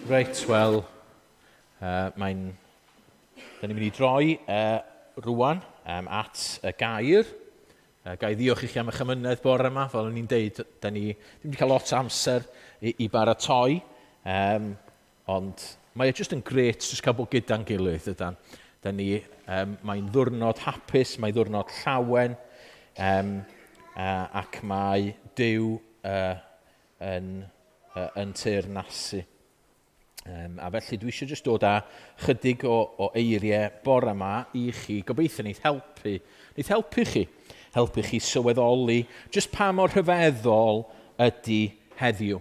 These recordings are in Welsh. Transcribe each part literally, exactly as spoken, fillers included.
Reit, wel, uh, mae'n... Da ni'n mynd i droi uh, rwan um, at y gair. Uh, ga i ddiolch i chi am eich amynedd bore yma. Fel o'n i'n deud, da ni ddim wedi cael lot o amser i, i baratoi. Um, ond mae e jyst yn grêt jyst cael bod gyda'n gilydd, ydan. Da ni, um, mae'n ddwrnod hapus, mae'n ddwrnod llawen, um, uh, ac mae Duw uh, yn, uh, yn teyrnasu. Um, a felly dwi eisiau jyst dod â chydig o, o eiriau bore yma i chi. Gobeithio neith helpu, neith helpu chi. Helpu chi sylweddoli jyst pa mor rhyfeddol ydy heddiw.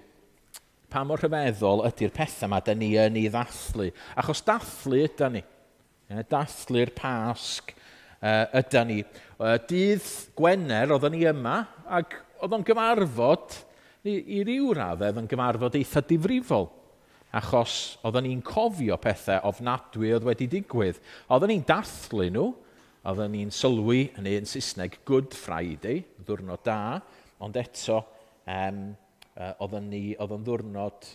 Pa mor rhyfeddol ydy'r pethau yma da ni yn ei ddathlu. Achos dathlu yda ni. Dathlu'r Pasg uh, yda ni. Uh, dydd Gwener oedden ni yma ac oedd o'n gyfarfod, i, i ryw raddau, oedd o'n gyfarfod eitha difrifol. Achos oedden ni'n cofio pethau ofnadwy oedd wedi digwydd. Oedden ni'n dathlu nhw, oedden ni'n sylwi, yn un Saesneg, Good Friday, ddwrnod da, ond eto um, oedden ni, oedd o'n ddwrnod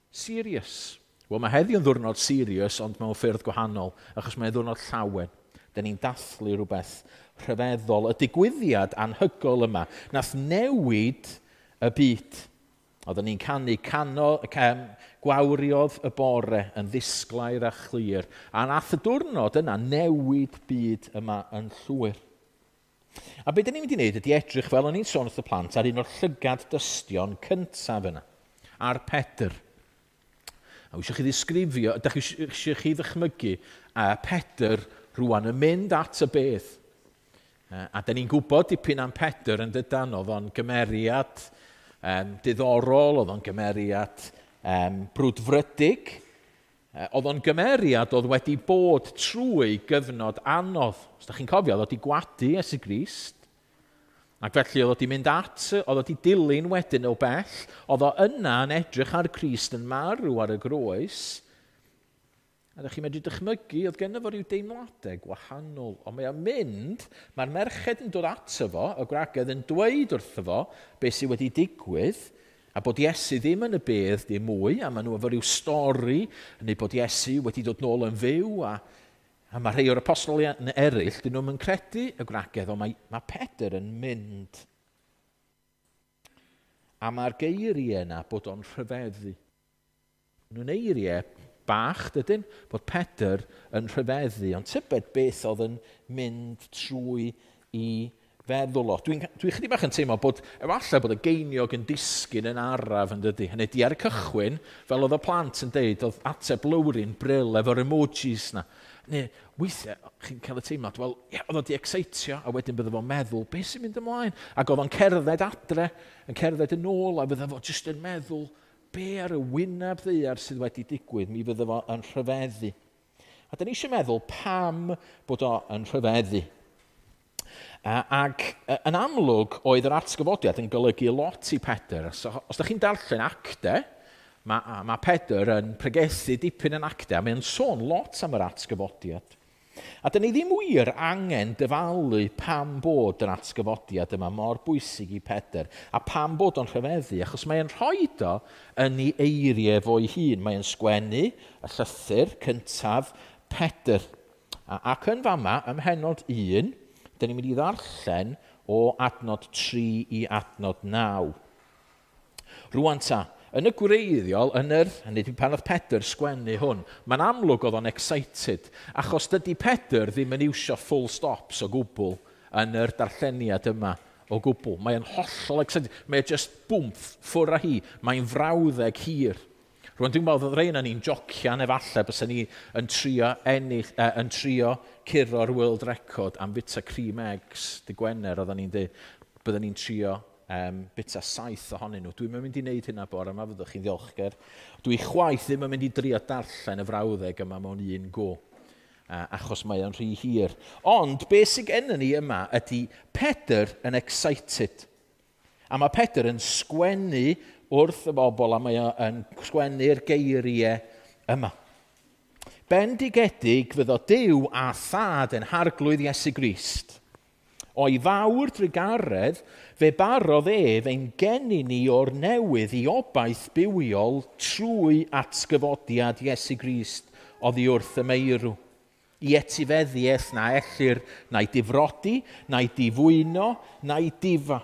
serious. Wel, mae heddiw yn ddwrnod serious, ond mewn ffyrdd gwahanol, achos mae'n ddwrnod llawen. Da ni'n dathlu rhywbeth rhyfeddol, y digwyddiad anhygoel yma, nath newid y byd. Oedden ni'n canu cano, cam, gwawriodd y bore yn ddisglair a chlir. A nath y diwrnod yna newid byd yma yn llwyr. A be dyn ni'n mynd i wneud ydy edrych, fel o'n i'n sôn wrth y plant, ar un o'r llygad dystion cyntaf yna, ar Pedr. A eisiau chi ddisgrifio, ydych chi eisiau chi ddychmygu a Pedr rwan yn mynd at y bedd. A dyn ni'n gwybod dipyn am Pedr yn dydan, oedd o'n gymeriad Um, diddorol, oedd o'n gymeriad um, brwdfrydig. Oedd o'n gymeriad oedd wedi bod trwy gyfnod anodd. Os da chi'n cofio, oedd wedi gwadu Iesu Grist. Ac felly oedd wedi mynd at, oedd wedi dilyn wedyn o bell. Oedd o yna yn edrych ar Crist yn marw ar y groes. A ydych chi'n medru dychmygu, oedd genno fo ryw deimladau gwahanol. Ond mae o'n mynd, mae'r merched yn dod ato fo, y gwragedd yn dweud wrtho fo beth sydd wedi digwydd, a bod Iesu ddim yn y bedd dim mwy, a maen nhw efo ryw stori, neu bod Iesu wedi dod nôl yn fyw, a, a mae rhai o'r apostolion eraill, dyn nhw'n credu y gwragedd, ond mae, mae Pedr yn mynd. A mae'r geiriau yna bod o'n rhyfeddu. Nhw'n eiriau bach, dydyn, bod Pedr yn rhyfeddu, ond tybed beth oedd yn mynd trwy i feddwl o. Dwi'n dwi chydig bach yn teimlo bod, efallai bod y geiniog yn disgyn yn araf yn dydy. Hynny di ar y cychwyn, fel oedd y plant yn deud, oedd ateb Lowry'n bril efo'r emojis na. Neu, weithiau, chi'n cael y teimlad, wel, ie, oedd o di excitio, a wedyn bydde fo'n meddwl, beth sy'n mynd ymlaen? Ac oedd o'n cerdded adre, yn cerdded yn ôl, a bydde fo jyst yn meddwl, be ar y wyneb ddaear sydd wedi digwydd, mi fydde fo yn rhyfeddu. A da ni eisiau meddwl pam bod o yn rhyfeddu. Ac yn amlwg oedd yr atgyfodiad yn golygu lot i Pedr. So, os da chi'n darllen acte, mae, mae Pedr yn pregethu dipyn yn acte, a mae'n sôn lot am yr atgyfodiad. A da ni ddim wir angen dyfalu pam bod yr atgyfodiad yma mor bwysig i Pedr a pam bod o'n rhyfeddu, achos mae'n rhoi o yn ei eiriau fo'i hun. Mae'n sgwennu y llythyr cyntaf Pedr. A, ac yn fama, ym mhennod un, da ni'n mynd i ddarllen o adnod tri i adnod naw. Rwan ta, yn y gwreiddiol, yn yr, hynny yw pan oedd Pedr sgwennu hwn, mae'n amlwg oedd o'n excited, achos dydy Pedr ddim yn iwsio full stops o gwbl yn yr darlleniad yma o gwbl. Mae'n hollol excited, mae'n just bwmff, ffwr â hi, mae'n frawddeg hir. Rwan dwi'n meddwl oedd rhai yna ni'n jocian efallai bysa ni yn trio, ennill, eh, yn trio curo'r world record am fita cream eggs dy Gwener oedden ni'n dweud, bydden ni'n trio um, bita saith ohonyn nhw. Dwi'n mynd i wneud hynna bore yma, fyddwch chi'n ddiolchgar. Dwi chwaith ddim yn mynd i drio darllen y frawddeg yma mewn un go, uh, achos mae o'n rhy hir. Ond beth sydd gennym ni yma ydy Pedr yn excited. A mae Pedr yn sgwennu wrth y bobl a mae o'n sgwennu'r geiriau yma. Bendigedig fyddo Duw a Thad yn Harglwydd Iesu Grist. O'i fawr drugaredd, fe barodd ef ein geni ni o'r newydd i obaith bywiol trwy atgyfodiad Iesu Grist oddi wrth y meirw. I etifeddiaeth na ellir na'i difrodi, na'i difwyno, na'i difa.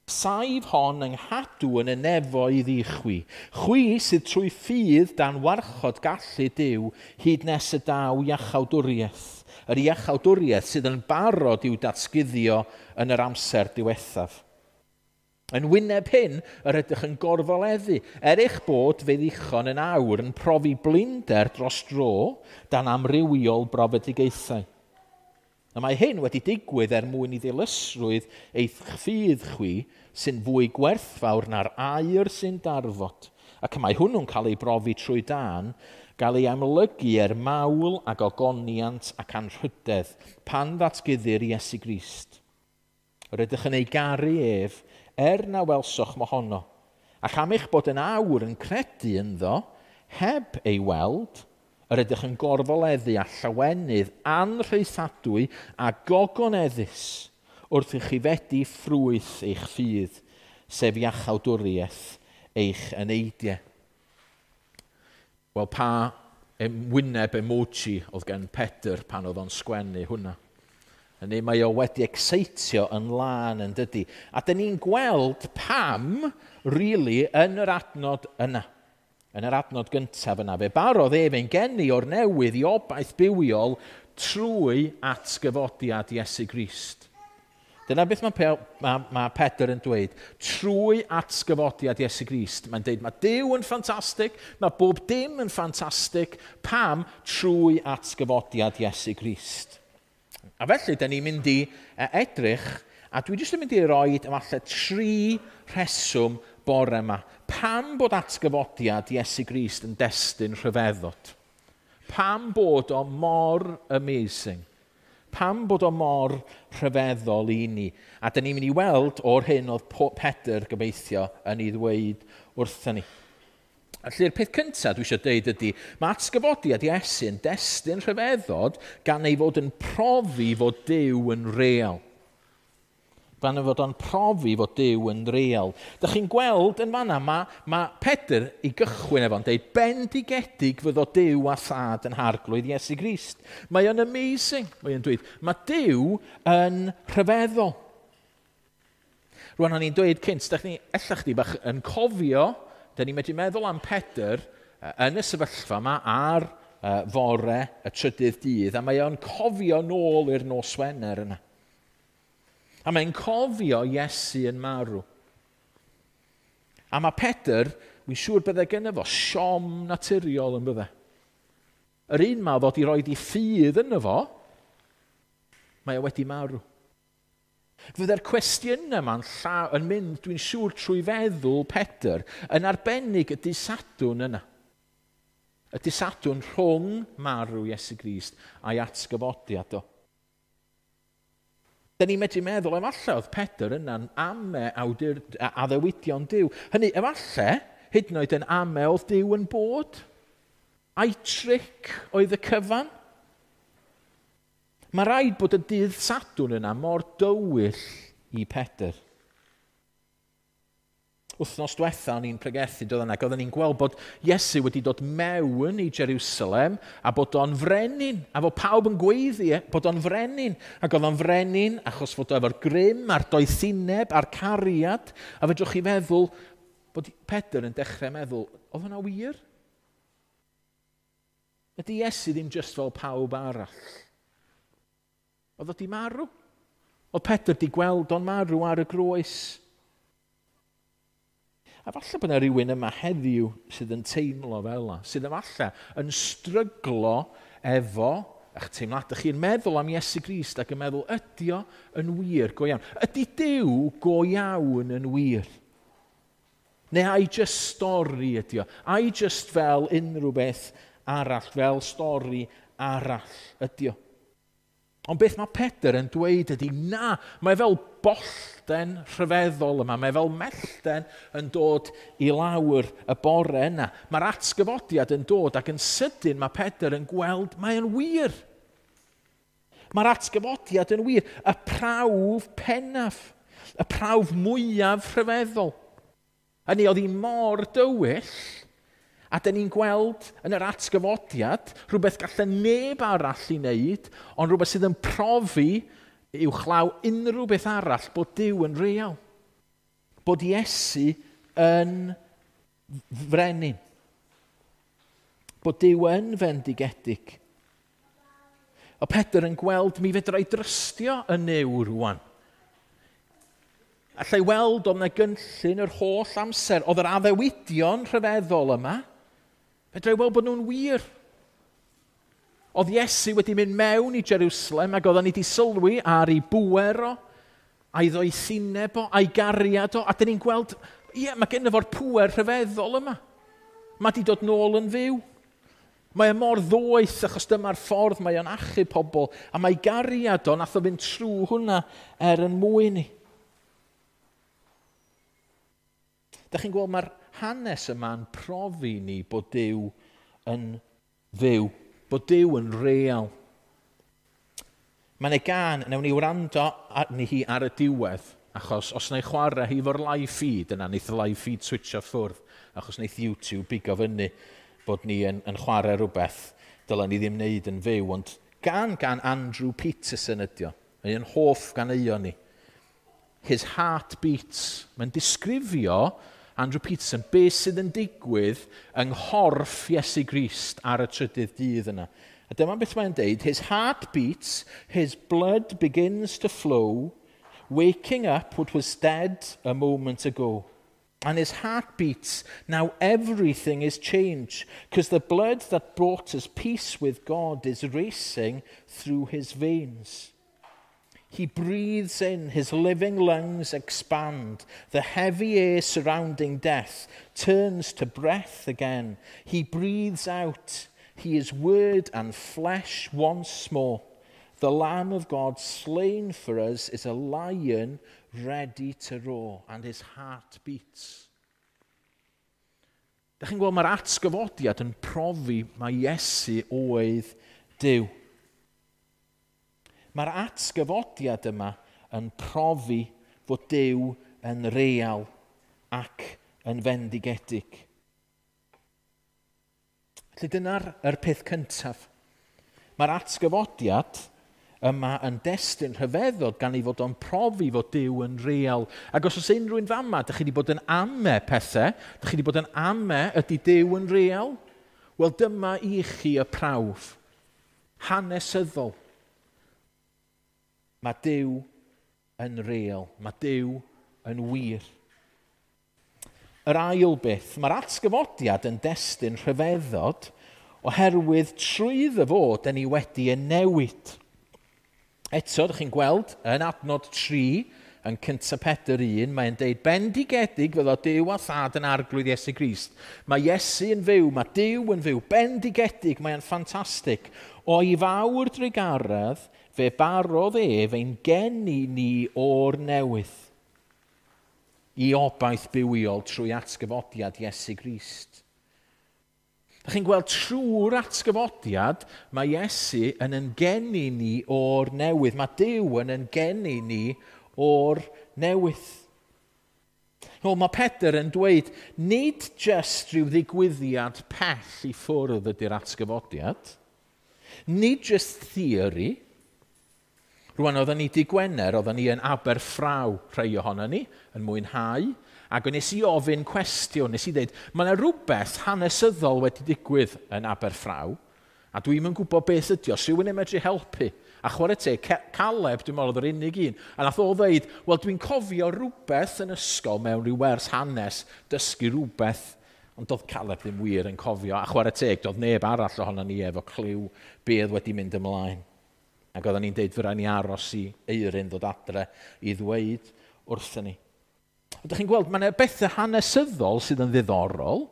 Saif hon yng nghadw yn y nefoedd i chwi. Chwi sydd trwy ffydd dan warchod gallu Duw hyd nes y daw iachawdwriaeth. Yr iachawdwriaeth sydd yn barod i'w datguddio yn yr amser diwethaf. Yn wyneb hyn, yr ydych yn gorfoleddu, er eich bod fe ddichon yn awr yn profi blinder dros dro dan amrywiol brofedigaethau. A mae hyn wedi digwydd er mwyn i ddilysrwydd eich ffydd chwi sy'n fwy gwerthfawr na'r aur sy'n darfod. Ac mae hwnnw'n cael ei brofi trwy dân, gael ei amlygu er mawl ac ogoniant ac anrhydedd pan ddatguddir Iesu Grist. Yr ydych yn ei garu ef, er na welsoch mohono, ac am eich bod yn awr yn credu ynddo, heb ei weld, yr ydych yn gorfoleddu a llawenydd anrhaethadwy a gogoneddus wrth i chi fedi ffrwyth eich ffydd, sef iachawdwriaeth eich eneidiau. Wel, pa wyneb emoji oedd gen Pedr pan oedd o'n sgwennu hwnna? Hynny, mae o wedi excitio yn lân yn dydi. A dyn ni'n gweld pam, really, yn yr adnod yna. Yn yr adnod gyntaf yna. Fe barodd ef ein geni o'r newydd i obaith bywiol trwy atgyfodiad Iesu Grist. Dyna beth mae, mae, mae Pedr yn dweud. Trwy atgyfodiad Iesu Grist. Mae'n dweud mae Duw yn ffantastig, mae bob dim yn ffantastig. Pam? Trwy atgyfodiad Iesu Grist. A felly, da ni'n mynd i edrych, a dwi jyst yn mynd i roi efallai tri rheswm bore yma. Pam bod atgyfodiad Iesu Grist yn destun rhyfeddod? Pam bod o mor amazing? Pam bod o mor rhyfeddol i ni? A da ni'n mynd i weld o'r hyn oedd Pedr gobeithio yn ei ddweud wrthyn ni. Felly'r peth cyntaf dwi eisiau dweud ydy, mae atgyfodiad Iesu yn destun rhyfeddod gan ei fod yn profi fod Duw yn real. Gan ei fod o'n profi fod Duw yn real. Dych chi'n gweld yn fanna, mae, mae Pedr i gychwyn efo'n dweud, bendigedig fyddo Duw a thad yn harglwydd Iesu Grist. Mae o'n amazing, mae o'n dweud. Mae Duw yn rhyfeddol. Rwan o'n i'n dweud cynt, dych chi, ella chdi bach yn cofio, da ni'n medru meddwl am Pedr yn y sefyllfa yma ar fore y trydydd dydd, a mae o'n cofio nôl i'r nos Wener yna. A mae'n cofio Iesu yn marw. A mae Pedr, wy'n siŵr bydde gynno fo, siom naturiol yn bydde. Yr un ma ddod i roed i ffydd yno fo, mae o wedi marw. Fydde'r cwestiynau yma'n yn mynd, dwi'n siŵr, trwy feddwl Pedr, yn arbennig y dydd Sadwrn yna. Y dydd Sadwrn rhwng marw Iesu Grist a'i atgyfodiad o. Da ni'n medru meddwl, efallai oedd Pedr yna'n ame awdur, addewidion Duw. Hynny, efallai, hyd yn oed yn ame oedd Duw yn bod. A'i tric oedd y cyfan. Mae rhaid bod y dydd Sadwrn yna mor dywyll i Pedr. Wythnos diwetha o'n i'n pregethu doedd yna, ac oedden ni'n gweld bod Iesu wedi dod mewn i Jerusalem a bod o'n frenin, a fod pawb yn gweiddi bod o'n frenin. Ac oedd o'n frenin achos fod o efo'r grym a'r doethineb a'r cariad. A fedrwch chi feddwl bod Pedr yn dechrau meddwl, oedd hwnna wir? Ydy Iesu ddim just fel pawb arall? Oedd o di marw? Oedd Pedr di gweld o'n marw ar y groes? A falle bod yna rhywun yma heddiw sydd yn teimlo fel yna, sydd efallai yn stryglo efo eich teimladau. Chi'n meddwl am Iesu Grist ac yn meddwl, ydy o yn wir go iawn? Ydy Duw go iawn yn wir? Neu ai just stori ydy o? Ai just fel unrhyw beth arall, fel stori arall ydy o? Ond beth mae Pedr yn dweud ydy, na, mae fel bollten rhyfeddol yma, mae fel mellten yn dod i lawr y bore yna. Mae'r atgyfodiad yn dod ac yn sydyn mae Pedr yn gweld, mae'n wir. Mae'r atgyfodiad yn wir y prawf pennaf, y prawf mwyaf rhyfeddol. A ni oedd hi mor dywyll, a dyn ni'n gweld yn yr atgyfodiad rhywbeth gallen neb arall i wneud, ond rhywbeth sydd yn profi uwchlaw unrhyw beth arall bod Duw yn real. Bod Iesu yn frenin. Bod Duw yn fendigedig. O Pedr yn gweld mi fedra i drystio y Nuw rwan. Allai weld oedd yna gynllun yr holl amser. Oedd yr addewidion rhyfeddol yma. Fedra i weld bod nhw'n wir. Oedd Iesu wedi mynd mewn i Jerusalem ac oedden ni wedi sylwi ar ei bŵer o, a'i ddoethineb o, a'i gariad o, a dyn ni'n gweld, ie, mae genno fo'r pŵer rhyfeddol yma. Mae wedi dod nôl yn fyw. Mae e mor ddoeth achos dyma'r ffordd mae o'n achub pobl, a mae gariad o, nath o fynd trwy hwnna er yn mwyn ni. Dach chi'n gweld mae'r hanes yma'n profi ni bod Duw yn fyw, bod Duw yn real. Mae'n ei gan, wnawn ni wrando arni hi ar y diwedd, achos os wna i chwarae hi fo'r live feed, yna wneith y live feed switcho ffwrdd, achos wneith YouTube bigo fyny bod ni yn, yn chwarae rhywbeth dylen ni ddim wneud yn fyw, ond gan gan Andrew Peterson ydi o. Mae'n hoff ganeuon ni. His heart beats. Mae'n disgrifio Andrew Peterson beth sydd yn digwydd yng nghorff Iesu Grist ar y trydydd dydd yna. A dyma beth mae'n deud, his heart beats, his blood begins to flow, waking up what was dead a moment ago. And his heart beats, now everything is changed, because the blood that brought us peace with God is racing through his veins. He breathes in, his living lungs expand. The heavy air surrounding death turns to breath again. He breathes out. He is word and flesh once more. The Lamb of God slain for us is a lion ready to roar, and his heart beats. Dach chi'n gweld mae'r atgyfodiad yn profi mae Iesu oedd Duw. Mae'r atgyfodiad yma yn profi fod Duw yn real ac yn fendigedig. Felly dyna'r yr peth cyntaf. Mae'r atgyfodiad yma yn destun rhyfeddod gan ei fod o'n profi fod Duw yn real. Ac os oes unrhyw un fama, dych chi wedi bod yn ame pethau, dych chi wedi bod yn ame ydy Duw yn real? Wel, dyma i chi y prawf hanesyddol. Mae Duw yn real. Mae Duw yn wir. Yr ail beth, mae'r atgyfodiad yn destun rhyfeddod oherwydd trwyddo fo, dyn ni wedi yn newid. Eto, ydych chi'n gweld, yn adnod tri, yn cyntaf Pedr un, mae'n deud, bendigedig fyddo Duw a Thad yn arglwydd Iesu Grist. Mae Iesu yn fyw, mae Duw yn fyw, bendigedig, mae'n ffantastig. O'i fawr drugaredd, fe barodd ef ein geni ni o'r newydd i obaith bywiol trwy atgyfodiad Iesu Grist. Dach chi'n gweld trwy'r atgyfodiad, mae Iesu yn yngeni ni o'r newydd. Mae Duw yn yngeni ni o'r newydd. Wel, mae Pedr yn dweud, nid jyst rhyw ddigwyddiad pell i ffwrdd ydy'r atgyfodiad, nid jyst theori. Rwan, oedden ni di Gwener, oedden ni yn Aberffraw, rhai ohono ni, yn mwynhau, ac nes i ofyn cwestiwn, nes i dweud, mae yna rhywbeth hanesyddol wedi digwydd yn Aberffraw, a dwi'm yn gwybod beth ydi o, os rhywun yn medru helpu. A chwarae teg, Caleb, dwi'n meddwl oedd yr unig un, a nath o ddeud, wel dwi'n cofio rhywbeth yn ysgol mewn rhyw wers hanes, dysgu rhywbeth, ond doedd Caleb ddim wir yn cofio, a chwarae teg, doedd neb arall ohono ni efo cliw be oedd wedi mynd ymlaen. Ac oedden ni'n deud, fyra ni aros i Eirin ddod adre i ddweud wrthyn ni. Ydych chi'n gweld, mae yna bethau hanesyddol sydd yn ddiddorol,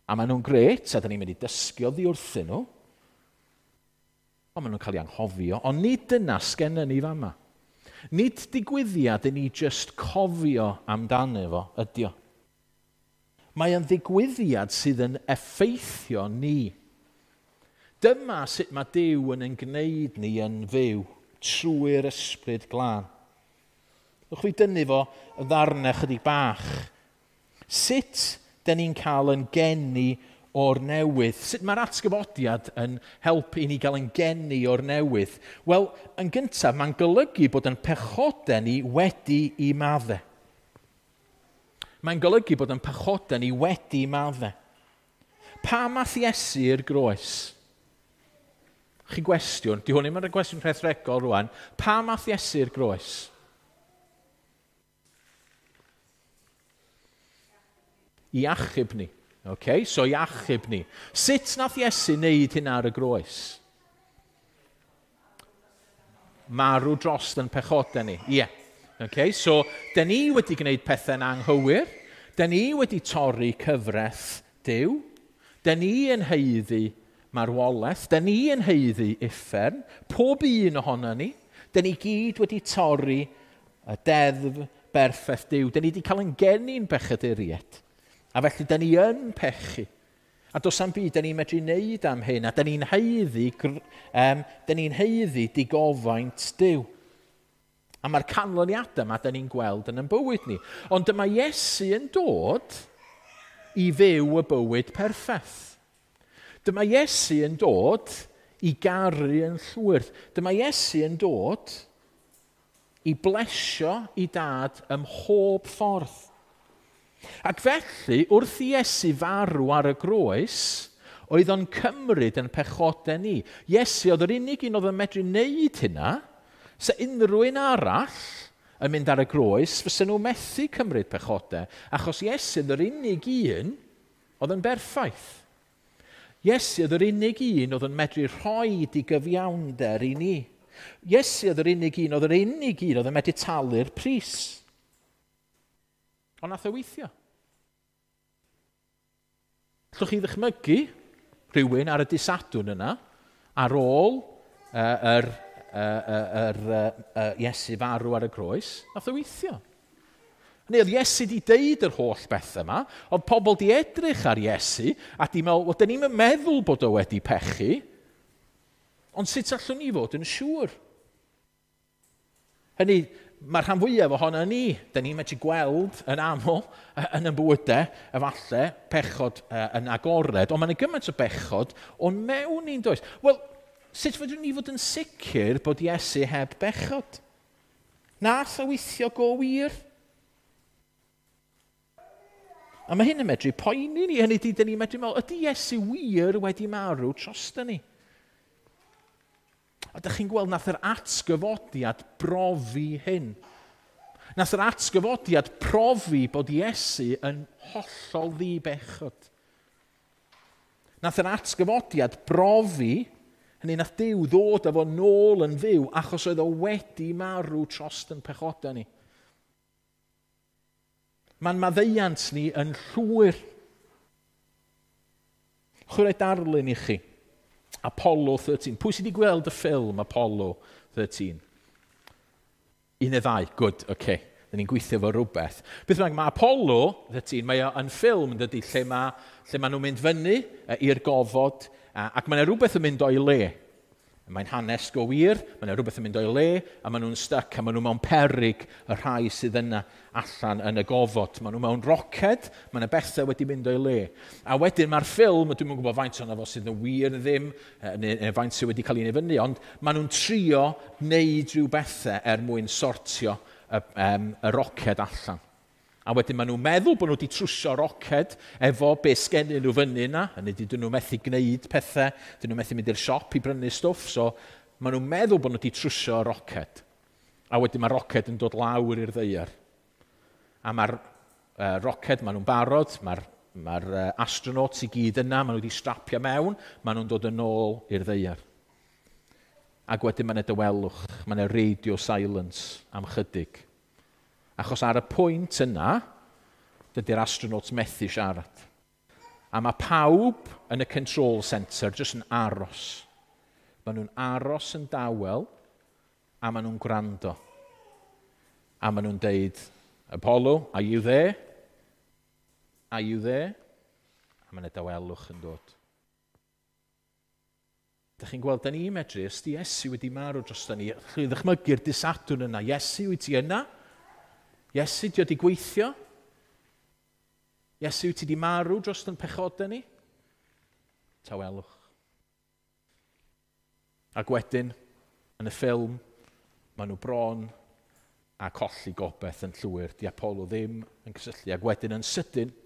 a maen nhw'n gret, a dyn ni'n mynd i dysgu oddi wrthyn nhw. Ond maen nhw'n cael eu anghofio, ond nid dyna sgenna ni fama. Nid digwyddiad i ni jyst cofio amdano fo, ydi o. Mae yn ddigwyddiad sydd yn effeithio ni. Dyma sut mae Duw yn ein gwneud ni yn fyw trwy'r Ysbryd Glân. Ewch fi dynnu fo y ddarnau chydig bach. Sut dyn ni'n cael yn geni o'r newydd? Sut mae'r atgyfodiad yn helpu i ni gael yn geni o'r newydd? Wel, yn gyntaf, mae'n golygu bod yn pechodau ni wedi i maddau. Mae'n golygu bod yn pechodau ni wedi maddau. Pam ath Iesu i'r groes? Chi gwestiwn, di hwn ddim yn gwestiwn rhethregol rwan. Pam ath Iesu i'r groes? I achub ni. Okay, so i achub ni. Sut nath Iesu wneud hynna ar y groes? Marw dros yn pechodau ni. Ie. Yeah. Okay, so, dyn ni wedi gwneud pethau'n anghywir. Dyn ni wedi torri cyfraith Duw. Dyn ni yn haeddu marwolaeth. Dyn ni yn haeddu uffern. Pob un ohono ni. Dyn ni gyd wedi torri y deddf berffaith Duw. Dyn ni wedi cael yn geni'n bechaduriaid. A felly, dyn ni yn pechu. A does am byd dyn ni'n medru wneud am hyn. A dyn ni'n haeddu, um, dyn ni'n haeddu digofaint Duw. A mae'r canlyniadau yma dyn ni'n gweld yn ein bywyd ni. Ond dyma Iesu yn dod i fyw y bywyd perffaith. Dyma Iesu yn dod i garu yn llwyr. Dyma Iesu yn dod i blesio i dad ym mhob ffordd. Ac felly, wrth i Iesu farw ar y groes, oedd o'n cymryd yn pechodau ni. Iesu oedd yr unig un oedd yn medru wneud hynna. Se unrhyw un arall yn mynd ar y groes, fysa nhw methu cymryd pechodau, achos Iesu oedd yr unig un oedd yn berffaith. Iesu oedd yr unig un oedd yn medru rhoi digyfiawnder i ni. Iesu oedd yr unig un oedd yr unig un oedd yn medru talu'r pris. Ond nath o weithio. Allwch chi ddychmygu rhywun ar y dydd Sadwrn yna, ar ôl uh, yr, uh, yr uh, uh, Iesu farw ar y groes, nath o weithio. Neu oedd Iesu di deud yr holl beth yma, oedd pobl di edrych ar Iesu a di meddwl, wel, dyn ni'm yn meddwl bod o wedi pechu, ond sut allwn ni fod yn siŵr? Hynny, mae'r rhan fwyaf ohono ni, dyn ni'n medru gweld yn aml yn ein bywydau, efallai, pechod yn agored, ond mae'n gymaint o bechod o'n mewn ni'n does. Wel, sut fedrwn ni fod yn sicr bod Iesu heb bechod? Nath o weithio go wir? A mae hyn yn medru poeni ni, hynny di, dyn ni'n medru meddwl, ydy Iesu wir wedi marw drosto ni? A dych chi'n gweld nath yr atgyfodiad brofi hyn. Nath yr atgyfodiad profi bod Iesu yn hollol ddibechod. Nath yr atgyfodiad brofi, hynny nath Duw ddod â fo nôl yn fyw achos oedd o wedi marw trost yn pechodau ni. Mae'n maddeuant ni yn llwyr. Chwarae darlun i chi. Apollo thirteen. Pwy sydd wedi gweld y ffilm Apollo thirteen? Un neu ddau, good, oce. Okay. Dyn ni'n gweithio fo rhywbeth. Beth bynnag, mae Apollo thirteen, mae o yn ffilm, dydy, lle mae, lle mae nhw'n mynd fyny i'r gofod, ac mae yna rhywbeth yn mynd o'i le. Mae'n hanes go wir, mae yna rhywbeth yn mynd o'i le, a maen nhw'n stuck, a maen nhw mewn peryg y rhai sydd yna allan yn y gofod. Maen nhw mewn roced, mae yna bethau wedi mynd o'i le. A wedyn mae'r ffilm, dwi'm yn gwybod faint ohono fo sydd yn wir neu ddim, neu, neu faint sydd wedi cael ei wneud fyny, ond maen nhw'n trio wneud rhyw bethau er mwyn sortio y, um, y roced allan. A wedyn maen nhw'n meddwl bod nhw wedi trwsio roced efo be sgennyn nhw fyny yna. Hynny ydy, dyn nhw methu gwneud pethau, dyn nhw methu mynd i'r siop i brynu stwff, so maen nhw'n meddwl bod nhw wedi trwsio roced. A wedyn mae'r roced yn dod lawr i'r ddaear. A mae'r uh, roced, maen nhw'n barod, mae'r mae'r uh, astronauts i gyd yna, maen nhw wedi strapio mewn, maen nhw'n dod yn ôl i'r ddaear. Ac wedyn mae'n dawelwch, mae'n radio silence am chydig. Achos ar y pwynt yna, dydy'r astronauts methu siarad. A mae pawb yn y control centre jyst yn aros. Maen nhw'n aros yn dawel, a maen nhw'n gwrando. A maen nhw'n deud, Apollo, are you there? Are you there? A mae'n dawelwch yn dod. Da chi'n gweld, da ni'n medru, os di Iesu wedi marw dros da ni, chi ddychmygu'r dydd Sadwrn yna, Iesu, wyt ti yna? Iesu, di wedi gweithio? Iesu, wyt ti wedi marw dros yn pechodau ni? Tawelwch. Ac wedyn, yn y ffilm, maen nhw bron a colli gobeith yn llwyr. Di Apollo ddim yn cysylltu. Ac wedyn yn sydyn,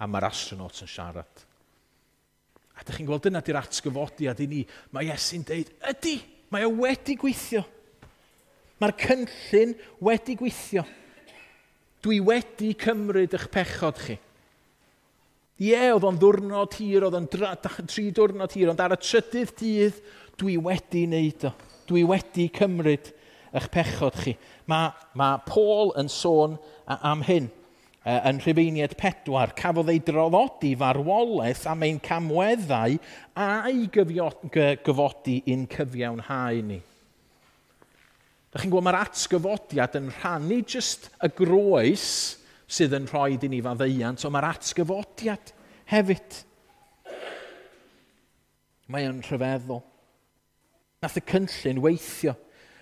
a mae'r astronauts yn siarad. A ydych chi'n gweld, dyna di'r atgyfodiad i ni. Mae Iesu'n deud, ydy, mae o wedi gweithio. Mae'r cynllun wedi gweithio. Dwi wedi cymryd eich pechod chi. Ie, oedd o'n ddwrnod hir, oedd o'n tri diwrnod hir, ond ar y trydydd dydd, dwi wedi wneud o. Dwi wedi cymryd eich pechod chi. Mae, mae Paul yn sôn am hyn yn Rhufeiniaid pedwar. Cafodd ei draddodi farwolaeth am ein camweddau a'i gyfodi i'n cyfiawnhau ni. Da chi'n gweld, mae'r atgyfodiad yn rhannu just y groes sydd yn rhoi i ni faddeuant, ond mae'r atgyfodiad hefyd. Mae o'n rhyfeddol. Nath y cynllun weithio.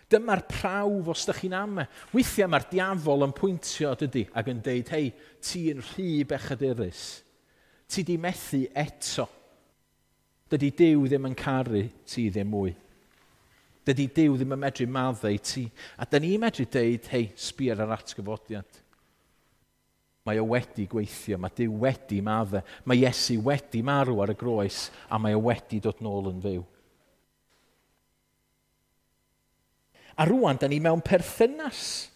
Dyma'r prawf os ydych chi'n ame. Weithiau mae'r diafol yn pwyntio, dydy, ac yn deud, "Hei, ti'n rhy bechadurus. Ti di methu eto. Dydy Duw ddim yn caru ti ddim mwy. Dydy Duw ddim yn medru maddau ti." A dyn ni'n medru deud, "Hei, sbia ar yr atgyfodiad. Mae o wedi gweithio, mae Duw wedi maddau. Mae Iesu wedi marw ar y groes a mae o wedi dod nôl yn fyw." A rwan, da ni mewn perthynas.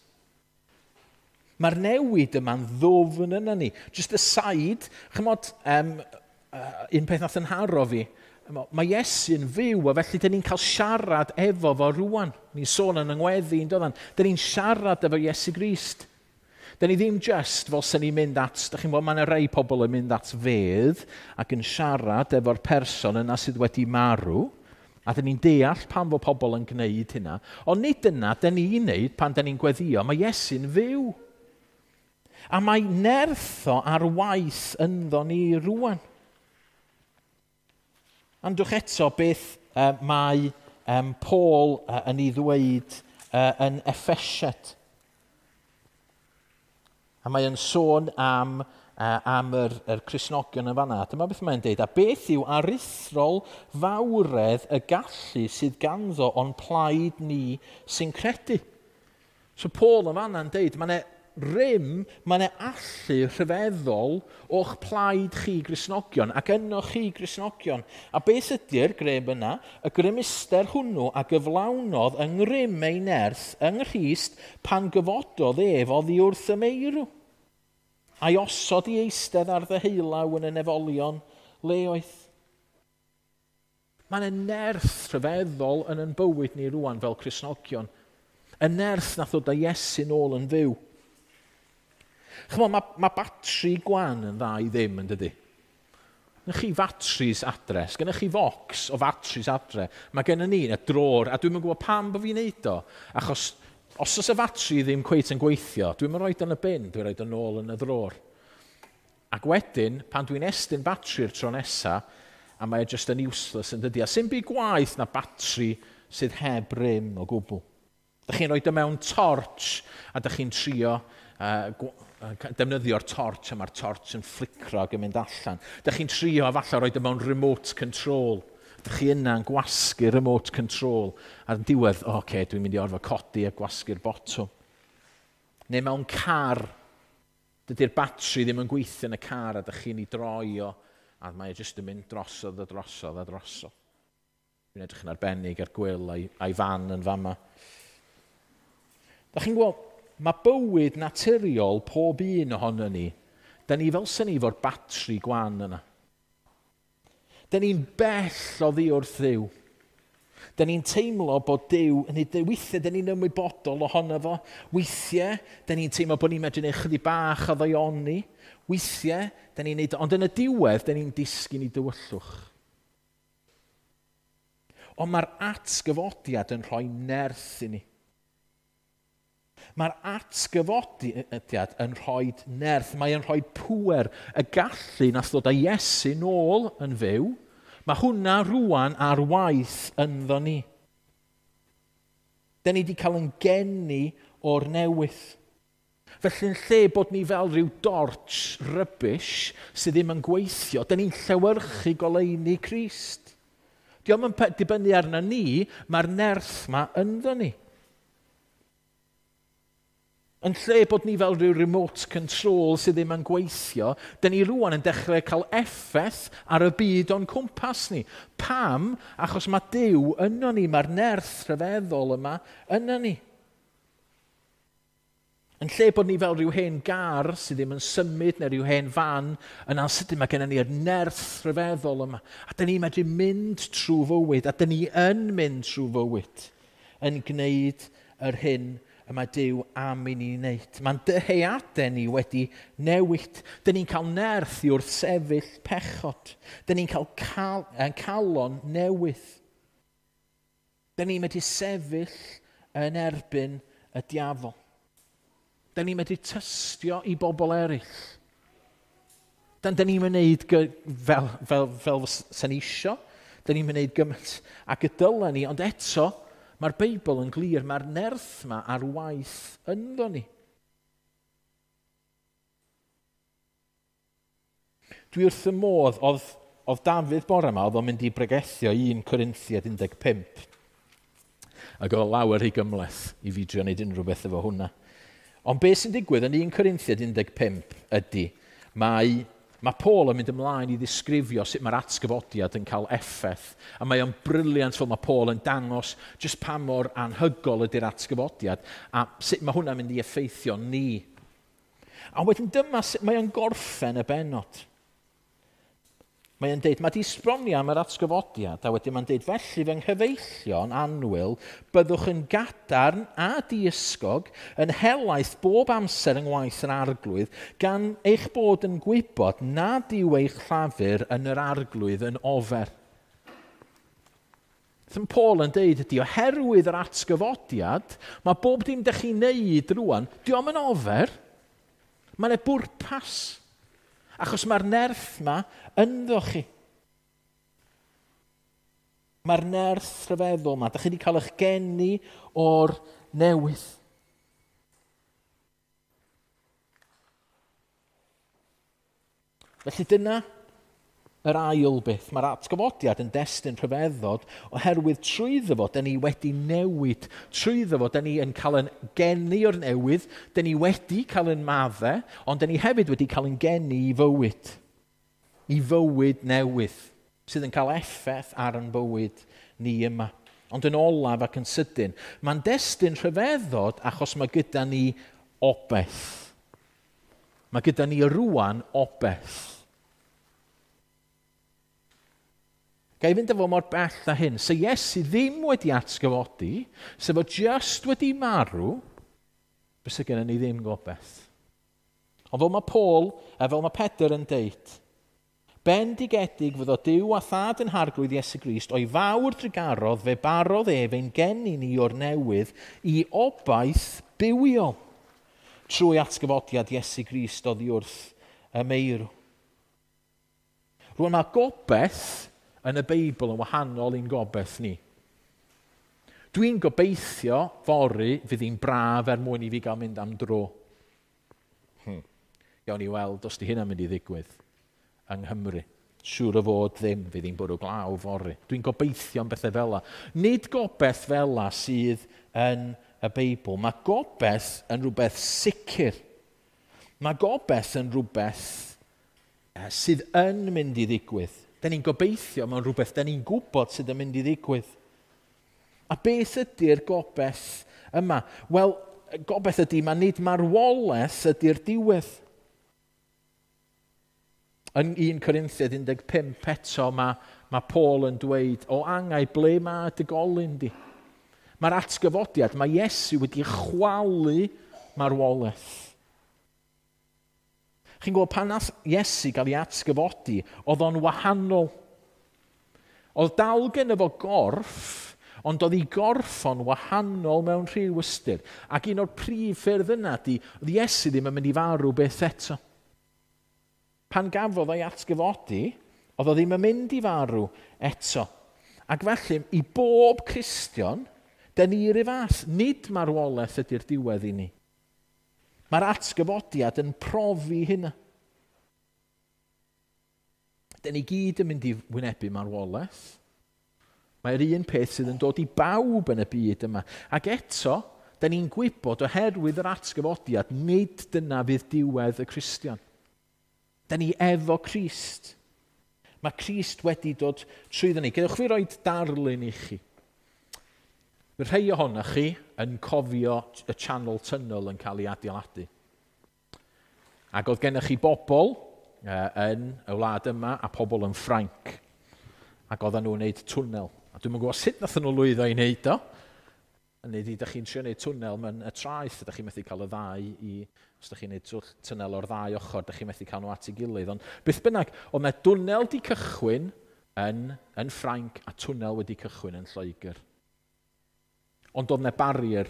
Mae'r newid yma'n ddwfn yna ni. Just aside, chymod, um, uh, un peth nath yn haro fi, mae Iesu'n fyw, a felly dyn ni'n cael siarad efo fo rwan. Ni'n sôn yn yngweddi, yn doddan. Dyn ni'n siarad efo Iesu Grist. Dyn ni ddim just fel sy'n ni'n mynd at, da chi'n gwybod, mae yna rai pobl yn mynd at fedd ac yn siarad efo'r person yna sydd wedi marw. A dyn ni'n deall pam fod pobl yn gwneud hynna. Ond nid dyna dyn ni'n neud pan dyn ni'n gweddio. Mae Iesu'n fyw. A mae nerth o ar waith ynddo ni rwan. Andwch eto beth uh, mae um, Paul uh, yn ei ddweud uh, yn Effesiaid. A mae yn sôn am, uh, am yr, yr Cristnogion yn fanna. Dyma beth mae'n deud. A beth yw aruthrol fawredd y gallu sydd ganddo o'n plaid ni sy'n credu? So Paul yn fanna'n deud, mae'n rym, mae'n allu rhyfeddol o'ch plaid chi Gristnogion ac yno chi Gristnogion. A beth ydy'r grym yna? Y grymuster hwnnw a gyflawnodd yng ngrym ei nerth yng Nghrist pan gyfododd ef oddi wrth y meirw, a'i osod i eistedd ar ddeheulaw yn y nefolion leoedd. Mae'n nerth rhyfeddol yn yn bywyd ni rwan fel Cristnogion. Y nerth nath ddod â Iesu nôl yn fyw. Chymod, mae, mae batri gwan yn dda i ddim, yn dydy? Gennych chi fatris adre, gennych chi focs o fatris adre. Mae gennym ni yn y drôr, a dwi'n gwybod pam bod fi'n neud o. Achos os oes y fatri ddim cweit yn gweithio, dwi'n rhoi yn y bin, dwi'n rhoi yn ôl yn y drôr. Ac wedyn, pan dwi'n estyn batri'r tro nesa, a mae e just yn useless, yn dydy. A sy'n byd gwaith na batri sydd heb rym o gwbl. Dych chi'n rhoi o mewn torch, a dych chi'n trio uh, defnyddio'r torch, a mae'r torch yn flicro ac yn mynd allan. Dych chi'n trio a falle rhoi o mewn remote control. Dych chi yna'n gwasgu remote control. A'r diwedd, oce, okay, dwi'n mynd i orfod codi a gwasgu'r botwm. Neu mewn car, dydy'r batri ddim yn gweithio yn y car a dych chi'n ei droi o, a mae e jyst yn mynd drosodd a drosodd a drosodd. Dwi'n edrych yn arbennig ar Gwyl a'i, a'i fan yn fama. Dych chi'n gweld, mae bywyd naturiol pob un ohono ni, da ni fel sy'n ni fo'r batri gwan yna. Da ni'n bell oddi wrth Dduw. Da ni'n teimlo bod Duw, yn ei weithiau da ni'n ymwybodol ohono fo. Weithiau, da ni'n teimlo bod ni'n medru neud chydig bach o ddaioni. Weithiau, da ni'n neud, ond yn y diwedd, da ni'n disgyn i dywyllwch. Ond mae'r atgyfodiad yn rhoi nerth i ni. Mae'r atgyfodiad yn rhoi nerth, mae yn rhoi pŵer, y gallu nath ddod â Iesu nôl yn fyw. Mae hwnna rwan ar waith ynddo ni. Da ni wedi cael yn geni o'r newydd. Felly yn lle bod ni fel rhyw dorch rubbish sydd ddim yn gweithio, da ni'n llewyrchu goleuni Crist. Dio'm yn dibynnu arna ni, mae'r nerth ma ynddo ni. Yn lle bod ni fel rhyw remote control sydd ddim yn gweithio, da ni rwan yn dechrau cael effaith ar y byd o'n cwmpas ni. Pam? Achos mae Duw yno ni, mae'r nerth rhyfeddol yma yno ni. Yn lle bod ni fel rhyw hen gar sydd ddim yn symud neu rhyw hen fan, yna'n sydyn mae gennym ni'r nerth rhyfeddol yma. A da ni'n medru mynd trwy fywyd, a da ni yn mynd trwy fywyd, yn gwneud yr hyn y mae Duw am i ni wneud. Mae'n dyheadau ni wedi newid. Da ni'n cael nerth i wrthsefyll pechod. Da ni'n cael cal, calon newydd. Da ni'n medru sefyll yn erbyn y diafol. Da ni'n medru tystio i bobl eraill. Dan da ni'n wneud fel, fel, fel sy'n isio. Da ni'n wneud gymaint ac y dylen ni, ond eto, mae'r Beibl yn glir, mae'r nerth yma ar waith ynddo ni. Dwi wrth y modd, oedd, oedd Dafydd bore yma, oedd o'n mynd i bregethio un Corinthiaid un deg pump. Ac oedd lawer rhy gymhleth i fi drio wneud unrhyw beth efo hwnna. Ond beth sy'n digwydd yn un Corinthiaid un deg pump ydy, mae, mae Paul yn mynd ymlaen i ddisgrifio sut mae'r atgyfodiad yn cael effaith. A mae o'n brilliant fel mae Paul yn dangos jyst pa mor anhygol ydy'r atgyfodiad a sut mae hwnna'n mynd i effeithio ni. A wedyn dyma sut mae o'n gorffen y bennod. Mae o'n deud, mae di sbronio am yr atgyfodiad, a wedyn mae'n deud, felly fy nghyfeillion annwyl, byddwch yn gadarn a diysgog, yn helaeth bob amser yng ngwaith yr arglwydd, gan eich bod yn gwybod nad yw eich llafur yn yr arglwydd yn ofer. Beth Paul yn deud ydy, oherwydd yr atgyfodiad, mae bob dim dych chi'n neud rwan, dio'm yn ofer, mae'n e bwrpas. Achos mae'r nerth yma ynddo chi. Mae'r nerth rhyfeddol yma. Dych chi wedi cael eich geni o'r newydd. Felly dyna yr ail beth. Mae'r atgyfodiad yn destun rhyfeddod oherwydd trwyddo fo, dyn ni wedi newid. Trwyddo fo, dyn ni yn cael yn geni o'r newydd, dyn ni wedi cael yn maddau, ond dyn ni hefyd wedi cael yn geni i fywyd. I fywyd newydd, sydd yn cael effaith ar yn bywyd ni yma. Ond yn olaf ac yn sydyn, mae'n destun rhyfeddod achos mae gyda ni obeth. Mae gyda ni rwan obeth. Ga i fynd efo mor bell â hyn. Se Iesu ddim wedi atgyfodi, se fo just wedi marw, bysa gennym ni ddim gobaith. Ond fel mae Paul, a fel mae Pedr yn deud, bendigedig fyddo Duw a Thad yn Harglwydd Iesu Grist, o'i fawr drugarodd fe barodd ef ein geni ni o'r newydd i obaith bywiol trwy atgyfodiad Iesu Grist oddi wrth y meirw. Rwan mae gobaith yn y Beibl yn wahanol i'n gobaith ni. Dwi'n gobeithio fory fydd hi'n braf er mwyn i fi gael mynd am dro. Hmm. Gawn ni weld os di hynna'n mynd i ddigwydd yng Nghymru. Siŵr o fod ddim, fydd hi'n bwrw glaw fory. Dwi'n gobeithio am bethau fel la. Nid gobaith fel la sydd yn y Beibl. Mae gobaith yn rhywbeth sicr. Mae gobaith yn rhywbeth sydd yn mynd i ddigwydd. Da ni'n gobeithio mewn rhywbeth, da ni'n gwybod sydd yn mynd i ddigwydd. A beth ydy'r gobaith yma? Wel, gobaith ydy, mae nid marwolaeth ydy'r diwedd. Yn un Corinthiaid un deg pump eto, mae, mae Paul yn dweud, o angau, ble mae dy golyn di? Mae'r atgyfodiad, mae Iesu wedi chwalu marwolaeth. Chi'n gwybod, pan nath Iesu gael ei atgyfodi, oedd o'n wahanol. Oedd dal gen efo gorff, ond oedd ei gorff o'n wahanol mewn rhyw ystyr. Ac un o'r prif ffyrdd yna di, oedd Iesu ddim yn mynd i farw beth eto. Pan gafodd ei atgyfodi, Oedd o ddim yn mynd i farw eto. Ac felly, i bob Cristion, dyn ni yr un fath. Nid marwolaeth ydy'r diwedd i ni. Mae'r atgyfodiad yn profi hynna. Dyn ni gyd yn mynd i wynebu marwolaeth. Mae'r un peth sydd yn dod i bawb yn y byd yma. Ac eto, dyn ni'n gwybod oherwydd yr atgyfodiad, nid dyna fydd diwedd y Cristion. Dyn ni efo Crist. Mae Crist wedi dod trwyddo ni. Gadewch fi roi darlun i chi. Mae rhai ohonoch chi yn cofio y Channel Tunnel yn cael ei adeiladu. Ac oedd gennych chi bobl yn y wlad yma a pobl yn Ffrainc. Ac oedden nhw'n gwneud twnnel. A dwi'm yn gwybod sut nath nhw lwyddo i wneud o. Yn neud i, ydych chi'n trio gwneud twnnel mewn y traeth, ydych chi'n methu cael y ddau i, os ydych chi'n gwneud twnnel o'r ddau ochr, ydych chi'n methu cael nhw at ei gilydd. Ond beth bynnag, oedd yna dwnnel di cychwyn yn, yn Ffrainc a twnnel wedi cychwyn yn Lloegr. Ond oedd yna barrier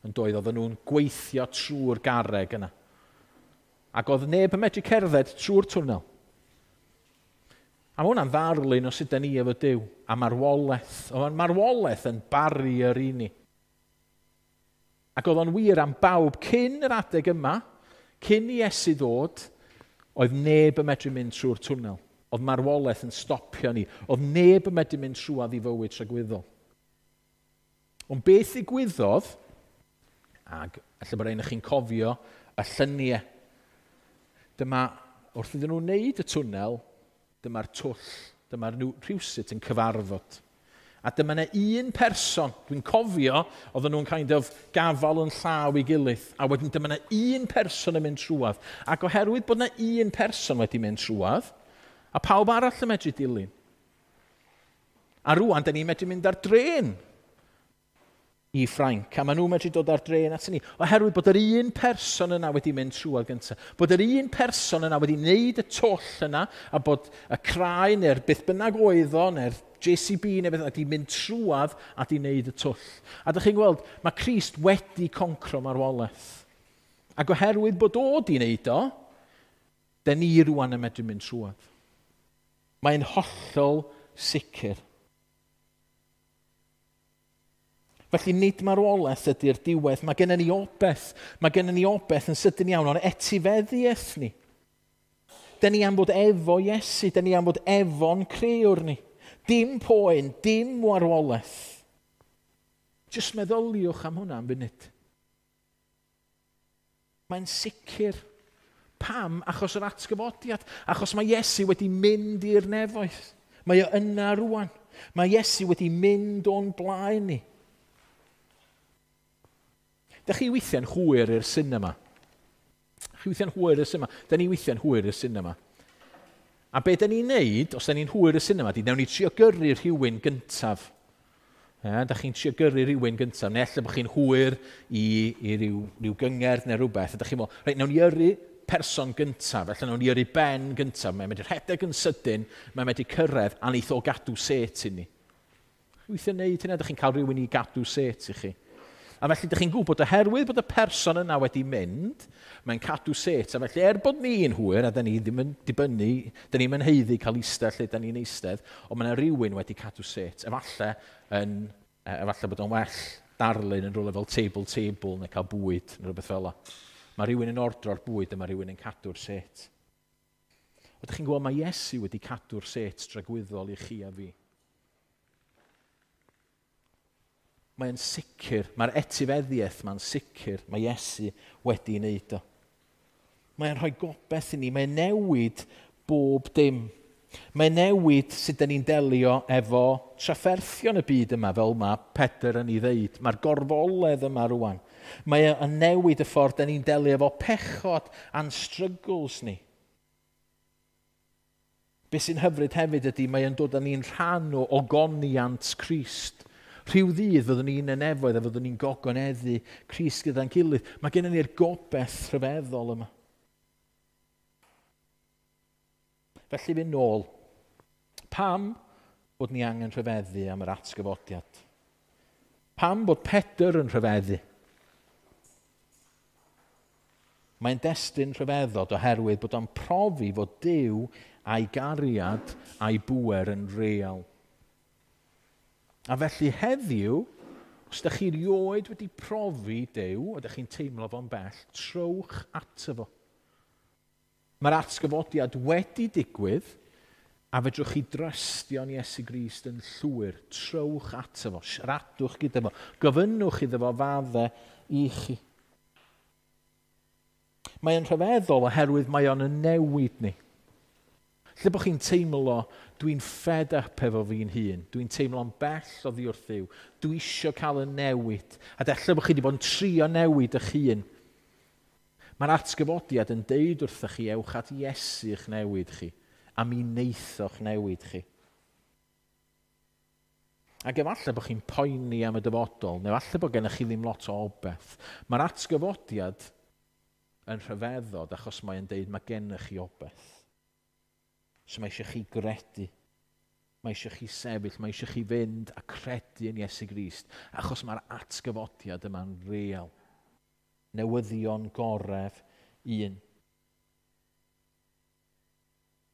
yn doedd, oedden nhw'n gweithio trwy'r garreg yna. Ac oedd neb yn medru cerdded trwy'r twnnel. A mae hwnna'n ddarlun o sut da ni efo Duw, a marwolaeth. Oedd marwolaeth yn barrier i ni. Ac oedd o'n wir am bawb cyn yr adeg yma, cyn i Iesu ddod, oedd neb yn medru mynd trwy'r twnnel. Oedd marwolaeth yn stopio ni. Oedd neb yn medru mynd trwadd i fywyd tragwyddol. Ond beth ddigwyddodd, ac ella bod rhaid i chi'n cofio y lluniau, dyma wrth iddyn nhw wneud y twnnel, dyma'r twll, dyma'r nhw rhywsut yn cyfarfod. A dyma yna un person, dwi'n cofio, oedden nhw'n kind of gafal yn llaw i gilydd, a wedyn dyma yna un person yn mynd trwadd. Ac oherwydd bod yna un person wedi mynd trwadd, a pawb arall yn medru dilyn. A rwan, da ni'n medru mynd ar dren i Ffrainc, a maen nhw'n medru dod ar dren at ni, oherwydd bod yr un person yna wedi mynd trwadd gyntaf, bod yr un person yna wedi wneud y twll yna, a bod y craen neu'r beth bynnag oedd o, neu'r J C B neu beth bynnag, wedi mynd trwadd a wedi wneud y twll. A dych chi'n gweld, mae Crist wedi concro marwolaeth. Ac oherwydd bod o wedi wneud o, dyn ni rwan yn medru mynd trwadd. Mae'n hollol sicr. Felly nid marwolaeth ydy'r diwedd, mae gennym ni obaith, mae gennym ni obaith yn sydyn iawn o'n etifeddiaeth ni. Dyn ni am fod efo Iesu, dyn ni am fod efo'n crëwr ni. Dim poen, dim marwolaeth. Jyst meddyliwch am hwnna am funud. Mae'n sicr. Pam? Achos yr atgyfodiad. Achos mae Iesu wedi mynd i'r nefoedd. Mae o yna rwan. Mae Iesu wedi mynd o'n blaen ni. Dych chi weithiau'n hwyr i'r sinema? Chi weithiau'n hwyr i'r sinema? Da ni weithiau'n hwyr i'r sinema. A be da ni'n neud, os da ni'n hwyr i'r sinema, di nawn ni trio gyrru rhywun gyntaf. E, da chi'n trio gyrru rhywun gyntaf, neu ella bod chi'n hwyr i, i ryw, ryw gyngerdd neu rhywbeth. A da chi'n meddwl, reit, nawn ni yrru person gyntaf, felly nawn ni yrru Ben gyntaf. Mae'n medru rhedeg yn sydyn, mae'n medru cyrraedd, a neith o gadw set i ni. Weithiau'n neud hynna, da chi'n cael rhywun i gadw set i chi. A felly, ydych chi'n gwybod, oherwydd bod y person yna wedi mynd, mae'n cadw set. A felly, er bod ni'n hwyr, a da ni ddim yn dibynnu, da ni'n haeddu cael eistedd lle da ni'n eistedd, ond mae yna rhywun wedi cadw set. Efallai, yn, efallai bod o'n well darlun yn rhywle fel table table neu cael bwyd neu rhywbeth fel yna. Mae rhywun yn ordro'r bwyd a mae rhywun yn cadw'r set. Ydych chi'n gwybod, mae Iesu wedi cadw'r set dragwyddol i chi a fi. Mae'n sicr, mae'r etifeddiaeth mae'n sicr, mae Iesu wedi wneud o. Mae'n rhoi gobaith i ni, mae'n newid bob dim. Mae'n newid sut dan ni'n delio efo trafferthion y byd yma, fel mae Pedr yn ei ddeud. Mae'r gorfoledd yma rwan. Mae yn newid y ffordd dan ni'n delio efo pechod a'n struggles ni. Be sy'n hyfryd hefyd ydy, mae'n dod â ni'n rhan o ogoniant Crist. Rhyw ddydd fyddwn ni'n y nefoedd a fyddwn ni'n gogoneddu Crist gyda'n gilydd. Mae gennym ni'r gobaith rhyfeddol yma. Felly fynd nôl, pam bod ni angen rhyfeddu am yr atgyfodiad? Pam bod Pedr yn rhyfeddu? Mae'n destun rhyfeddod oherwydd bod o'n profi fod Duw a'i gariad a'i bŵer yn real. A felly heddiw, os ydych chi rioed wedi profi Duw, a ydych chi'n teimlo fo'n bell, trowch ato fo. Mae'r atgyfodiad wedi digwydd, a fedrwch chi drystio'n Iesu Grist yn llwyr. Trowch ato fo, siaradwch gyda fo, gofynnwch iddo fo fadde i chi. Mae'n rhyfeddol oherwydd mae o'n newid ni. Lle bod chi'n teimlo, dwi'n fed up efo fi'n hun, dwi'n teimlo'n bell oddi wrth Dduw, dwi isio cael y newid, a ella bod chi wedi bod yn trio newid eich hun. Mae'r atgyfodiad yn deud wrthych chi, ewch at Iesu eich newid chi, a mi neithoch newid chi. Ac efallai bod chi'n poeni am y dyfodol, neu efallai bod gennych chi ddim lot o obaith. Mae'r atgyfodiad yn rhyfeddod achos mae'n deud mae gennych chi obaith. So mae eisiau chi gredu. Mae eisiau chi sefyll, mae eisiau chi fynd a credu yn Iesu Grist, achos mae'r atgyfodiad yma'n real. Newyddion goref un.